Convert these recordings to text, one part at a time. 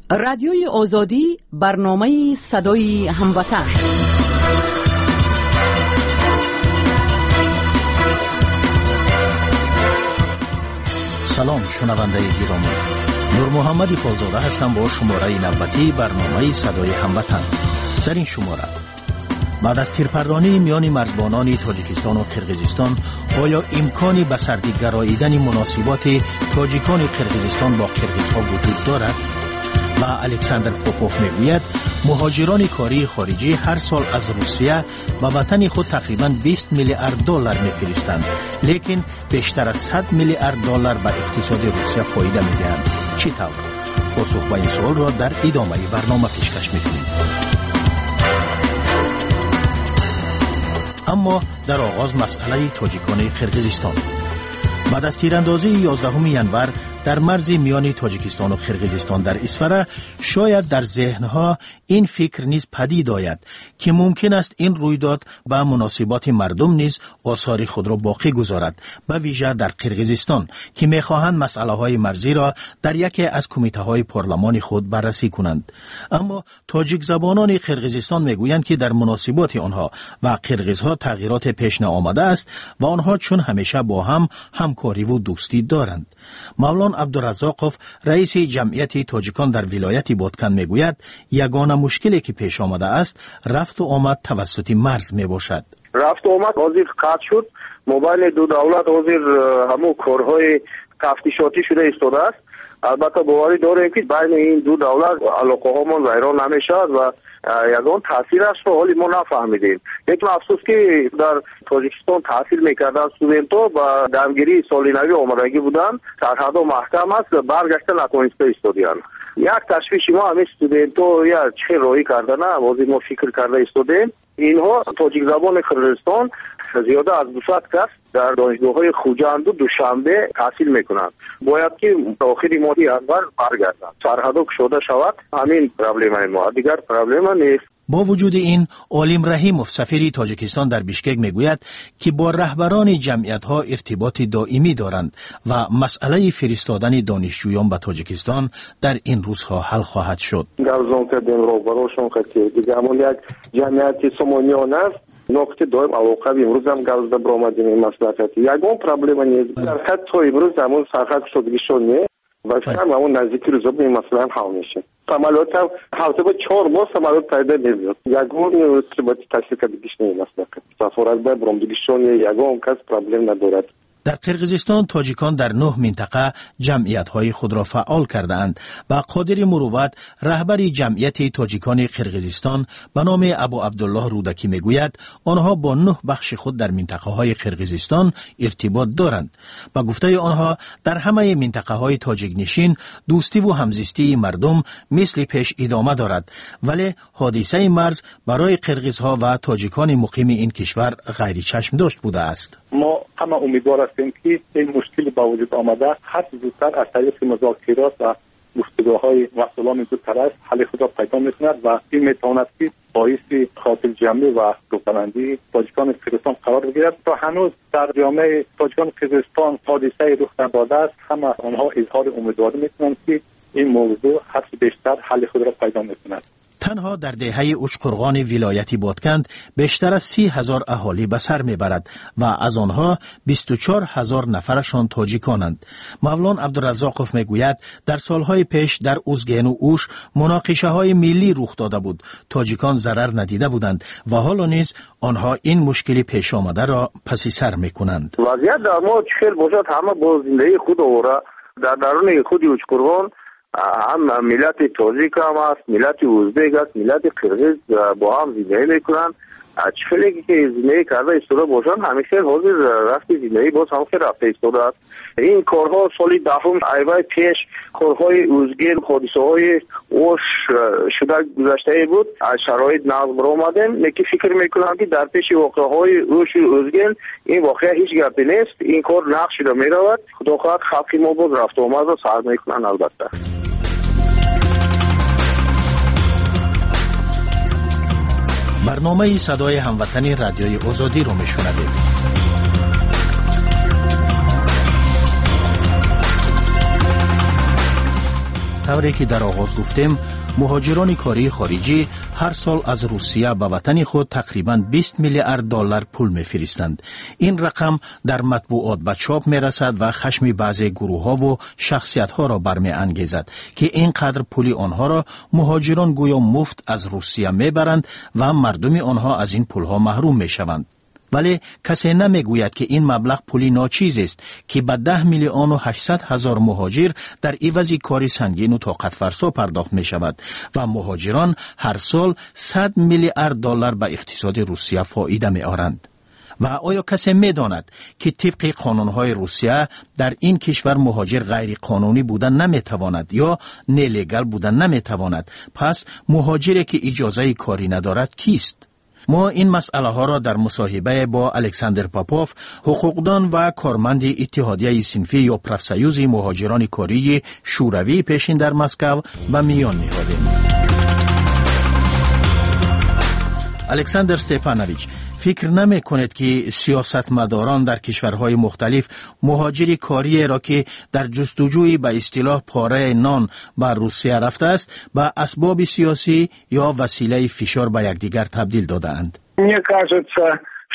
Радиои Озодӣ, барномаи садои ҳамватан. Салом, шунавандаи гиромӣ. Нурмуҳаммади Холзода ҳастам бо шумораи навбатии барномаи садои ҳамватан. Дар ин шумора баъд аз тирпардонии миёни марзбонони Тоҷикистону Қирғизистон оё имкони ба сардӣ гароидани муносиботи тоҷикони Қирғизистон бо қирғизҳо вуҷуд дорад? Ва Александр Попов мегӯяд, муҳоҷирони кории хориҷӣ ҳар сол аз Русия ба ватани худ тақрибан 20 миллиард доллар мефиристанд, лекин бештар аз 100 миллиард доллар ба иқтисоди Русия фоида медиҳанд. Чӣ тавр? Посух ба ин суолро дар идомаи барнома пешкаш мекунем. Аммо дар оғоз масъалаи тоҷикони Қирғизистон. Баъд аз тирандозии 11 январ дар марзи миёни Тоҷикистону Қирғизистон дар Исфара, шояд дар зеҳнҳо ин фикр низ падид ояд, ки мумкин аст ин рӯйдод ба муносиботи мардум низ осори худро боқӣ гузорад, ба вижа дар Қирғизистон, ки мехоҳанд масъалаҳои марзиро дар яке аз кумитаҳои парлумони худ баррасӣ кунанд. Аммо тоҷикзабонони Қирғизистон мегӯянд, ки дар муносиботи онҳо ва қирғизҳо тағйироте пеш наомадааст ва онҳо чун ҳамеша бо ҳам ҳамкориву дӯстӣ доранд. Мавлон Абдуразоқов, раиси ҷамъияти тоҷикон дар вилояти Боткан, мегӯяд, ягона мушкиле ки пеш омадааст, рафту омад тавассути марз мебошад. Рафту омад ҳозир қатъ шуд. Мобайни ду давлат ҳозир ҳамун корҳои тафтишотӣ шуда истодааст. Албатта боварӣ дорем, ки байни ин ду давлат алоқаҳомон вайрон намешавад ва ягон таъсирашро ҳоли мо нафаҳмидем. Лекин афсӯс, ки дар Тоҷикистон таҳсил мекарданд студентҳо, ба дамгирии соли навӣ омадагӣ буданд, сарҳадҳо маҳкам аст, баргашта натавониста истодиянд. Як ташвиши мо ҳамин студентҳо я чӣ хел роҳӣ кардана, ҳозир мо фикр карда истодем. Инҳо тоҷикзабони Қирғизистон зиёда аз 200 кас дар донишгоҳҳои Хуҷанду Душанбе таҳсил мекунанд. Бояд ки охири моҳи январ баргарданд, сарҳадҳо кушода шавад. Ҳамин проблемаи мо, дигар проблема нест. Бо вуҷуди ин, Олим Раҳимов, сафири Тоҷикистон дар Бишкек, мегӯяд, ки бо раҳбарони ҷамъиятҳо иртиботи доимӣ доранд ва масъалаи фиристодани донишҷӯён ба Тоҷикистон дар ин рӯзҳо ҳал хоҳад шуд. Гап кардем роҳбарошон қати, дига ҳамон як ҷамъияти Сомониён аст, нуқти доим алоқа. Имрӯзам гап зада баромадем ин маслиҳати, ягон проблема нест. Сархат то имрӯз ҳамон сархат кушодагишон не ва фикрам ҳамон наздики рӯзо ин масъалаам ҳал мешавад. Самолётам ҳафта ба 4 моҳ самолёт пайда мебиёд. Ягон иртиботи ташкил кардагиш не, маслиҳат сафорат ба баромадагишон, ягон кас проблем надорад. Дар Қирғизистон тоҷикон дар нӯҳ минтақа ҷамъиятҳои худро фаъол кардаанд ва Қодири Мурувват, раҳбари ҷамъияти тоҷикони Қирғизистон ба номи Абу Абдуллоҳ Рӯдакӣ, мегӯяд, онҳо бо нӯҳ бахши худ дар минтақаҳои Қирғизистон иртибот доранд. Ба гуфтаи онҳо, дар ҳамаи минтақаҳои тоҷикнишин дӯстиву ҳамзистии мардум мисли пеш идома дорад, вале ҳодисаи марз барои қирғизҳо ва тоҷикони муқими ин кишвар ғайричашмдошт будааст. Мо ҳама умедвор ҳастем, ки ин мушкили ба вуҷуд омада ҳарчи зудтар аз тариқи музокирот ва гуфтугӯҳои масъулони ду тараф ҳалли худро пайдо мекунад ва ин метавонад, ки боиси хотирҷамъӣ ва рӯҳбаландии тоҷикони Қирғизистон қарор бигирад. То ҳанӯз дар ҷомеаи тоҷикони Қирғизистон ҳодисае рух надодааст. Ҳама онҳо изҳори умедворӣ мекунанд, ки ин мавзӯъ ҳарчи бештар ҳалли худро пайдо мекунад. Танҳо дар деҳаи Учқурғони вилояти Ботканд бештар аз 30 000 аҳолӣ ба сар мебарад ва аз онҳо 24 000 нафарашон тоҷиконанд. Мавлон Абдуразоқов мегӯяд, дар солҳои пеш дар Узгену Уш муноқишаҳои миллӣ рух дода буд, тоҷикон зарар надида буданд ва ҳоло низ онҳо ин мушкили пешомадаро паси сар мекунанд. Вазъият дар мо чӣ хел бошад, ҳама бо зиндагии худ овора. Дар даруни худи Учқурғон ҳам миллати тоҷик ҳам аст, миллати ӯзбек аст, миллати қирғиз бо ҳам зиндагӣ мекунанд. Чӣ хеле ки зиндагӣ карда истода бошанд, ҳамин хел ҳозир рафти зиндагӣ боз ҳам хел рафта истодааст. Ин корҳо соли 10-ум айвай пеш корҳои Узген, ҳодисаҳои Ош шуда гузаштае буд, аз шароит нағз баромадем. Лекин фикр мекунам, ки дар пеши воқеаҳои Ошу Узген ин воқеа ҳеҷ гапе нест. Ин кор нағз шуда меравад. Худо хоҳад, халқи мо боз рафту омадро сар мекунанд, албатта. Барномаи садои ҳамватани Радиои Озодиро мешунавед. Тавре ки дар оғоз гуфтем, муҳоҷирони кории хориҷӣ ҳар сол аз Русия ба ватани худ тақрибан 20 миллиард доллар пул мефиристанд. Ин рақам дар матбуот ба чоп мерасад ва хашми баъзе гурӯҳҳову шахсиятҳоро бармеангезад, ки ин қадр пули онҳоро муҳоҷирон гӯё муфт аз Русия мебаранд ва мардуми онҳо аз ин пулҳо маҳрум мешаванд. Вале касе намегӯяд, ки ин маблағ пули ночизест, ки ба 10 800 000 муҳоҷир дар ивази кори сангину тоқатфарсо пардохт мешавад ва муҳоҷирон ҳар сол 100 миллиард доллар ба иқтисоди Русия фоида меоранд. Ва оё касе медонад, ки тибқи қонунҳои Русия дар ин кишвар муҳоҷир ғайриқонунӣ буда наметавонад ё нелегал буда наметавонад? Пас муҳоҷире, ки иҷозаи корӣ надорад, кист? Мо ин масъалаҳоро дар мусоҳибае бо Александр Попов, ҳуқуқдон ва корманди иттиҳодияи синфӣ ё профсоюзи муҳоҷирони кории Шӯравии пешин дар Москав, ба миён ниҳодем. Александр Степанович, фикр намекунед, ки сиёсатмадорон дар кишварҳои мухталиф муҳоҷири кориеро, ки дар ҷустуҷӯи ба истилоҳ пораи нон ба Русия рафтааст, ба асбоби сиёсӣ ё василаи фишор ба якдигар табдил додаанд? Мне кажется,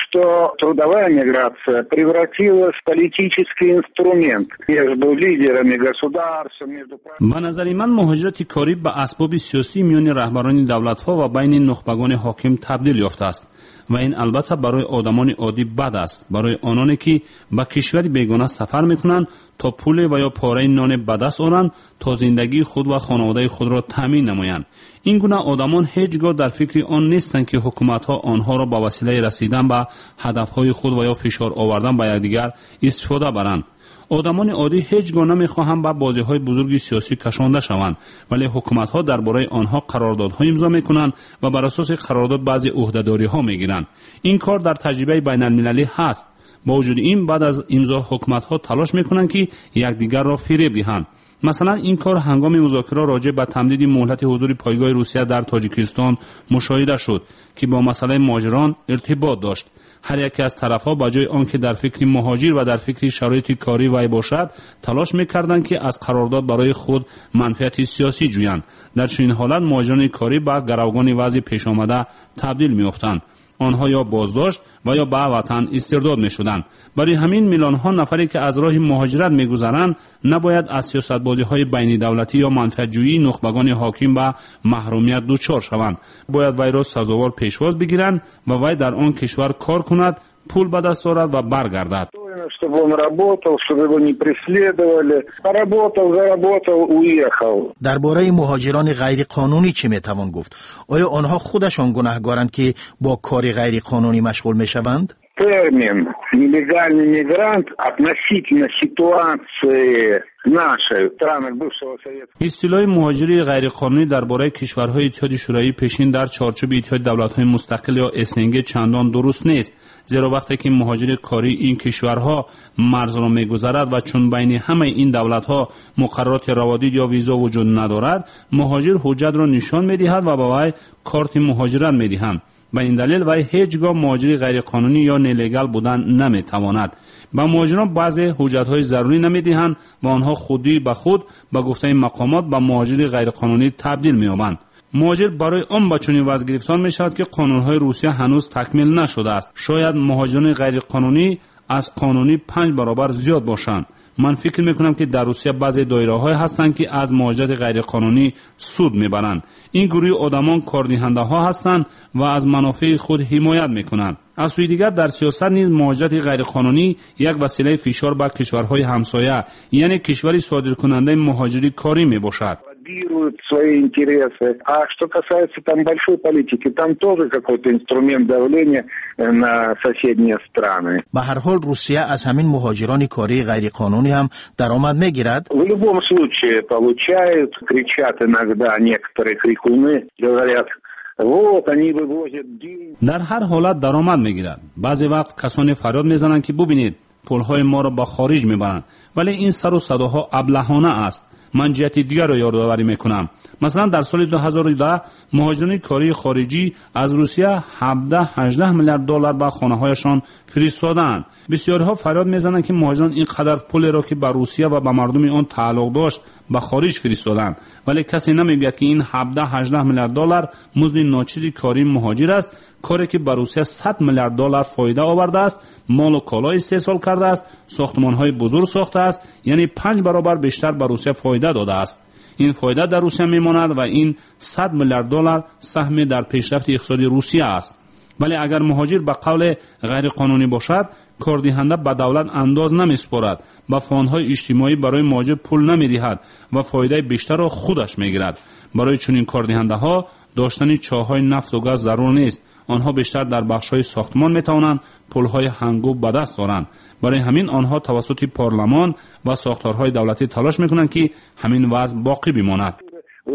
что трудовая миграция превратилась в политический инструмент между лидерами государств, между. Ба назари ман, муҳоҷирати корӣ ба асбоби сиёсӣ миёни раҳбарони давлатҳо ва байни нухбагони ҳоким табдил ёфтааст ва ин албатта барои одамони оддӣ бад аст, барои ононе, ки ба кишвари бегона сафар мекунанд, то пуле ва ё пораи ноне ба даст оранд, то зиндагии худ ва хонаводаи худро таъмин намоянд. Ин гуна одамон ҳеҷ гоҳ дар фикри он нестанд, ки ҳукуматҳо онҳоро ба василаи расидан ба ҳадафҳои худ ва ё фишор овардан ба якдигар истифода баранд. Одамони оддӣ ҳеҷ гоҳ намехоҳанд ба бозиҳои бузурги сиёсӣ кашонда шаванд, вале ҳукуматҳо дар бораи онҳо қарордодҳо имзо мекунанд ва бар асоси қарордод баъзе ӯҳдадориҳо мегиранд. Ин кор дар таҷрибаи байналмилалӣ ҳаст. Бо вуҷуди ин, баъд аз имзо ҳукуматҳо талош мекунанд, ки якдигарро фиреб диҳанд. Масалан, ин кор ҳангоми музокира роҷеъ ба тамдиди муҳлати ҳузури пойгоҳи Русия дар Тоҷикистон мушоҳида шуд, ки бо масъалаи муҳоҷирон иртибот дошт. Ҳар яке аз тарафҳо, ба ҷои он ки дар фикри муҳоҷир ва дар фикри шароити кории вай бошад, талош мекарданд, ки аз қарордод барои худ манфиати сиёсӣ ҷӯянд. Дар чунин ҳолат муҳоҷирони корӣ ба гаравгони вазъи пешомада табдил меёфтанд. Онҳо ё боздошт ва ё ба ватан истирдод мешуданд. Барои ҳамин миллионҳо нафаре, ки аз роҳи муҳоҷират мегузаранд, набояд аз сиёсатбозиҳои байнидавлатӣ ё манфиатҷӯии нухбагони ҳоким ба маҳрумият дучор шаванд. Бояд вайро сазовор пешвоз бигиранд ва вай дар он кишвар кор кунад, пул ба даст орад ва баргардад. Чтобы он работал, чтобы его не преследовали. Поработал, заработал, уехал. Дар бораи муҳоҷирони ғайриқонунӣ чӣ метавон гуфт? Оё онҳо худашон гунаҳгоранд, ки бо кори ғайриқонунӣ машғул мешаванд? Термин «нелегальный мигрант» относительно ситуации нашей, в странах бывшего Советского Истилоҳи муҳоҷири ғайриқонунӣ дар бораи кишварҳои Иттиҳоди Шӯравии пешин дар чорчӯби Иттиҳоди давлатҳои мустақил ё СНГ чандон дуруст нест, зеро вақте ки муҳоҷири кории ин кишварҳо марзро мегузарад ва чун байни ҳамаи ин давлатҳо муқаррароти раводид ё визо вуҷуд надорад, муҳоҷир ҳуҷҷатро нишон медиҳад ва ба вай корти муҳоҷират медиҳанд. Ба ин далел вай ҳеҷ гоҳ муҳоҷири ғайриқонунӣ ё нелегал будан наметавонад. Ба муҳоҷирон баъзе ҳуҷҷатҳои зарурӣ намедиҳанд ва онҳо худӣ ба худ, ба гуфтаи мақомот, ба муҳоҷири ғайриқонунӣ табдил меёбанд. Муҳоҷир барои он ба чунин вазъ гирифтор мешавад, ки қонунҳои Русия ҳанӯз такмил нашудааст. Шояд муҳоҷирони ғайриқонунӣ аз қонунӣ панҷ баробар зиёд бошанд. Ман фикр мекунам, ки дар Русия баъзе доираҳое ҳастанд, ки аз муҳоҷирати ғайриқонунӣ суд мебаранд. Ин гурӯҳи одамон кордиҳандаҳо ҳастанд ва аз манофеи худ ҳимоят мекунанд. Аз сӯи дигар, дар сиёсат низ муҳоҷирати ғайриқонунӣ як василаи фишор ба кишварҳои ҳамсоя, яъне кишвари содиркунандаи муҳоҷири корӣ мебошад. Лоббируют свои интересы. А что касается там большой политики, там тоже какой-то инструмент давления на соседние страны. Ба ҳар ҳол, Русия аз ҳамин муҳоҷирони кории ғайриқонунӣ ҳам даромад мегирад. В любом случае получают, кричат иногда некоторые крикуны, говорят: вот, они вывозят деньги. Дар ҳар ҳолат даромад мегирад. Баъзе вақт касоне фарёд мезананд, ки бубинед, пулҳои моро ба хориҷ мебаранд, вале ин сару садоҳо аблаҳона аст. Ман ҷиҳати дигарро ёдоварӣ мекунам. Масалан, дар соли 2010 муҳоҷирони кории хориҷӣ аз Русия 17-18 миллиард доллар ба хонаҳояшон фиристодаанд. Бисёриҳо фарёд мезананд, ки муҳоҷирон ин қадар пулеро, ки ба Русия ва ба мардуми он тааллуқ дошт, ба хориҷ фиристоданд. Вале касе намегӯяд, ки ин 17-18 миллиард доллар музди ночизи кории муҳоҷир аст, коре ки ба Русия 100 миллиард доллар фоида овардааст, молу коло истеҳсол кардааст, сохтмонҳои бузург сохтааст, яъне 5 баробар бештар ба Русия фоида додааст. Ин фоида дар Русия мемонад ва ин 100 миллиард доллар саҳме дар пешрафти иқтисоди Русия аст. Вале агар муҳоҷир ба қавле ғайриқонунӣ бошад, кордиҳанда ба давлат андоз намесупорад, ба фондҳои иҷтимоӣ барои муҳоҷир пул намедиҳад ва фоидаи бештарро худаш мегирад. Барои чунин кордиҳандаҳо доштани чоҳҳои нафту газ зарур нест. Онҳо бештар дар бахшҳои сохтмон метавонанд пулҳои ҳангоб ба даст оранд. Барои ҳамин онҳо тавассути парлумон ва сохторҳои давлатӣ талош мекунанд, ки ҳамин вазъ боқӣ бимонад.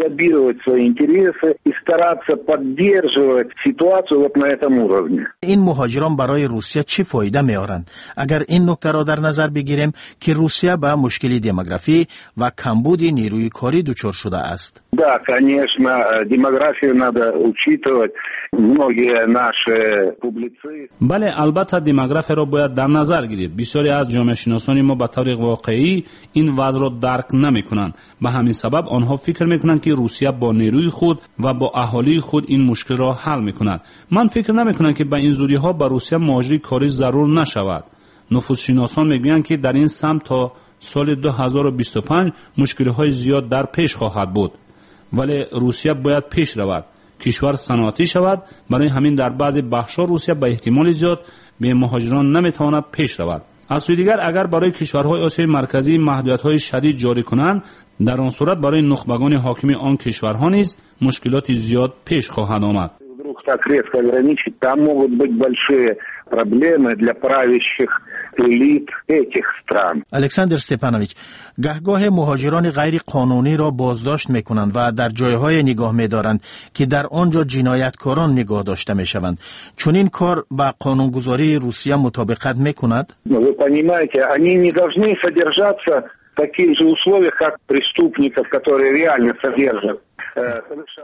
Лоббировать свои интересы и стараться поддерживать ситуацию вот на этом уровне. Ин муҳоҷирон барои Русия чӣ фоида меоранд? Агар ин нуктаро дар назар бигирем, ки Русия ба мушкили демографӣ ва камбуди нерӯи корӣ дучор шудааст. Да, конечно, демографию надо учитывать. Многие наши публицисты... Бале, албатта демографияро бояд дар назар гирифт. Бисёре аз ҷомеашиносони мо ба таври воқеӣ ин вазъро дарк намекунанд. Ба ҳамин сабаб онҳо фикр мекунанд, ки Русия бо нерӯи худ ва бо аҳолии худ ин мушкилро ҳал мекунад. Ман фикр намекунам, ки ба ин зудиҳо ба Русия муҳоҷири корӣ зарур нашавад. Нуфузшиносон мегӯянд, ки дар ин самт то соли 2025 мушкилиҳои зиёд дар пеш хоҳад буд. Вале Русия бояд пеш равад, кишвар саноатӣ шавад. Барои ҳамин дар баъзе бахшҳо Русия ба эҳтимоли зиёд бе муҳоҷирон наметавонад пеш равад. Аз сӯи дигар, агар барои кишварҳои Осиёи Марказӣ маҳдудиятҳои шадид ҷорӣ кунанд, дар он сурат барои нухбагони ҳокими он кишварҳо низ мушкилоти зиёд пеш хоҳад омад. Вдруг так резко ограничить, там могут быть большие проблемы для правящих элит этих стран. Александр Степанович, гаҳгоҳе муҳоҷирони ғайриқонуниро боздошт мекунанд ва дар ҷойҳое нигоҳ медоранд, ки дар он ҷо ҷинояткорон нигоҳ дошта мешаванд. Чунин кор ба қонунгузории Русия мутобиқат мекунад? Вы понимаете, они не должны содержаться в таких же условиях, как преступников, которые реально содержат.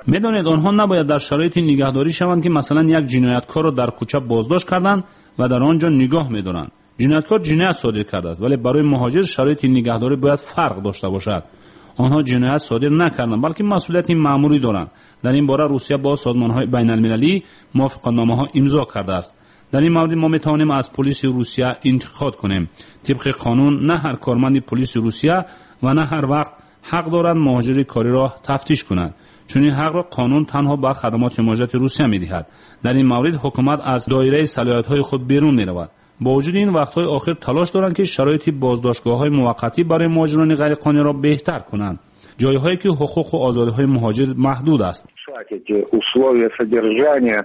Медонед, онҳо набояд дар шароити нигаҳдорӣ шаванд, ки масалан як ҷинояткорро дар кӯча боздошт карданд ва дар он ҷо нигоҳ медоранд. Ҷинояткор ҷиноят содир кардааст, вале барои муҳоҷир шароити нигаҳдорӣ бояд фарқ дошта бошад. Онҳо ҷиноят содир накарданд, балки масъулияти маъмурӣ доранд. Дар ин бора Русия бо созмонҳои байналмилалӣ мувофиқатномаҳо имзо кардааст. Дар ин маврид мо метавонем аз полиси Русия интиқод кунем. Тибқи қонун на ҳар корманди полиси Русия ва на ҳар вақт ҳақ дорад муҳоҷири кориро тафтиш кунад. Чунин ҳақро қонун танҳо ба хадамоти муҳоҷирати Русия медиҳад. Дар ин маврид ҳукумат аз доираи салоҳиятҳои худ берун меравад. Бо вуҷуди ин, вақтҳои охир талош доранд, ки шароити боздоштгоҳҳои муваққатӣ барои муҳоҷирони ғайриқонуниро беҳтар кунанд, ҷойҳое ки ҳуқуқу озодиҳои муҳоҷир маҳдуд аст. Эти условия содержания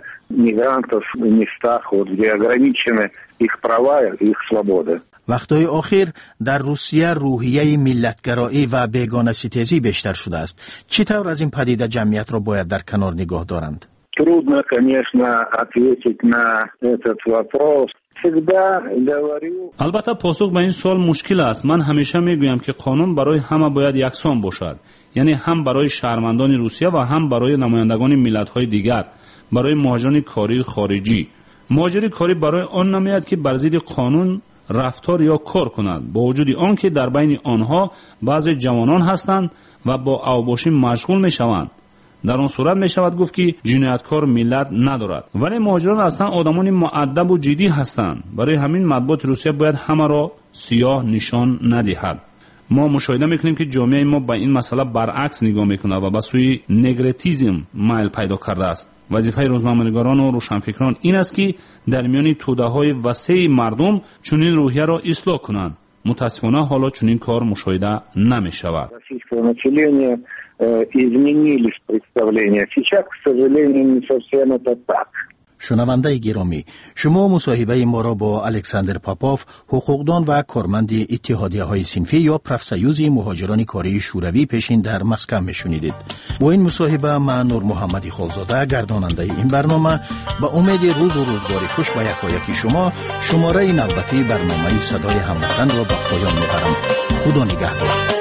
мигрантов в местах, вот, где ограничены их права и их свободы. Вақтҳои охир дар Русия рӯҳияи миллатгароӣ ва бегонаситезӣ бештар шудааст. Чӣ тавр аз ин падида ҷамъиятро бояд дар канор нигоҳ доранд? Трудно, конечно, ответить на этот вопрос. Всегда говорю... Албатта, посух ба ин суол мушкил аст. Ман ҳамеша мегӯям, ки қонун барои ҳама бояд яксон бошад, яъне ҳам барои шаҳрвандони Русия ва ҳам барои намояндагони миллатҳои дигар, барои муҳоҷирони кории хориҷӣ. Муҳоҷири корӣ барои он намеояд, ки бар зидди қонун рафтор ё кор кунад, бо вуҷуди он ки дар байни онҳо баъзе ҷавонон ҳастанд ва бо авбошӣ машғул мешаванд. Дар он сурат мешавад гуфт, ки ҷинояткор миллат надорад. Вале муҳоҷирон аслан одамони муаддабу ҷиддӣ ҳастанд. Барои ҳамин матбуоти Русия бояд ҳамаро сиёҳ нишон надиҳад. Мо мушоҳида мекунем, ки ҷомеаи мо ба ин масъала баръакс нигоҳ мекунад ва ба сӯи негретизм майл пайдо кардааст. Вазифаи рӯзноманигорону рӯшанфикрон ин аст, ки дар миёни тӯдаҳои васеи мардум чунин рӯҳияро ислоҳ кунанд. Мутаассифона, ҳоло чунин кор мушоҳида намешавад. Российского населения изменились представления. Сейчас, к сожалению, не совсем это так. Шунавандаи гиромӣ, шумо мусоҳибаи моро бо Александр Попов, ҳуқуқдон ва корманди иттиҳодияҳои синфӣ ё профсоюзи муҳоҷирони кории шӯравии пешин дар Москав мешунидед. Бо ин мусоҳиба ман, Нурмуҳаммади Холзода, гардонандаи ин барнома, ба умеди рӯзу рӯзгори хуш ба якояки шумо шумораи навбатии барномаи «Садои ҳамватанро» ба поён мебарам. Худо нигаҳдор.